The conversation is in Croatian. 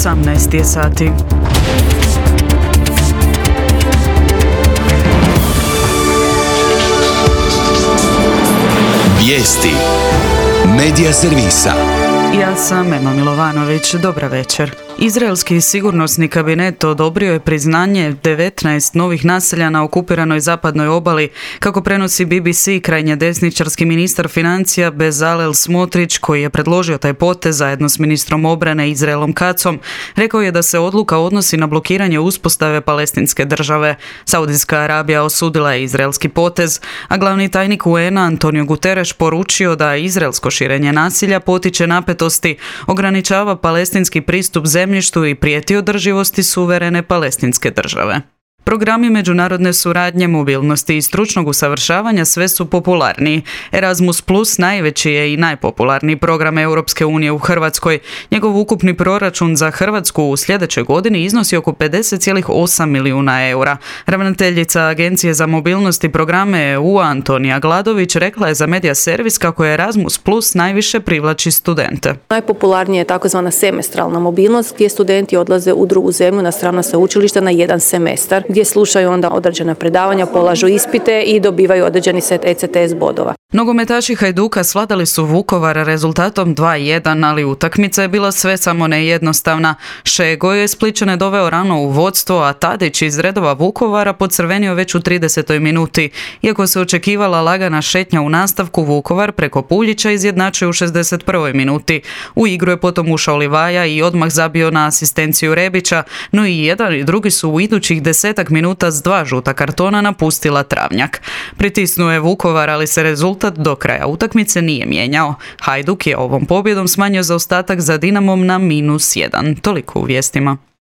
18 je sati. Vijesti Medija servisa. Ja sam Ema Milovanović, dobra večer. Izraelski sigurnosni kabinet odobrio je priznanje 19 novih naselja na okupiranoj zapadnoj obali, kako prenosi BBC. Krajnje desničarski ministar financija Bezalel Smotrić, koji je predložio taj potez zajedno s ministrom obrane Izraelom Katzom, rekao je da se odluka odnosi na blokiranje uspostave palestinske države. Saudijska Arabija osudila je izraelski potez, a glavni tajnik UN-a Antonio Guterres poručio da izraelsko širenje nasilja potiče napetosti, ograničava palestinski pristup zemljištu i prijeti održivosti suverene palestinske države. Programi međunarodne suradnje, mobilnosti i stručnog usavršavanja sve su popularniji. Erasmus Plus najveći je i najpopularniji program Europske unije u Hrvatskoj. Njegov ukupni proračun za Hrvatsku u sljedećoj godini iznosi oko 50,8 milijuna eura. Ravnateljica Agencije za mobilnost i programe EU Antonija Gladović rekla je za Medija servis kako je Erasmus Plus najviše privlači studente. Najpopularnije je takozvana semestralna mobilnost, gdje studenti odlaze u drugu zemlju na strano sveučilište na jedan semestar, gdje slušaju onda određena predavanja, polažu ispite i dobivaju određeni set ECTS bodova. Nogometaši Hajduka svladali su Vukovar rezultatom 2:1, ali utakmica je bila sve samo ne jednostavna. Šego je Splićane doveo rano u vodstvo, a Tadić iz redova Vukovara pocrvenio već u 30. minuti. Iako se očekivala lagana šetnja u nastavku, Vukovar preko Puljića izjednačio u 61. minuti. U igru je potom ušao Livaja i odmah zabio na asistenciju Rebića, no i jedan i drugi su u idućih 10 minuta s 2 žuta kartona napustila travnjak. Pritisnuo je Vukovar, ali se rezultat do kraja utakmice nije mijenjao. Hajduk je ovom pobjedom smanjio zaostatak za Dinamom na -1. Toliko u vijestima.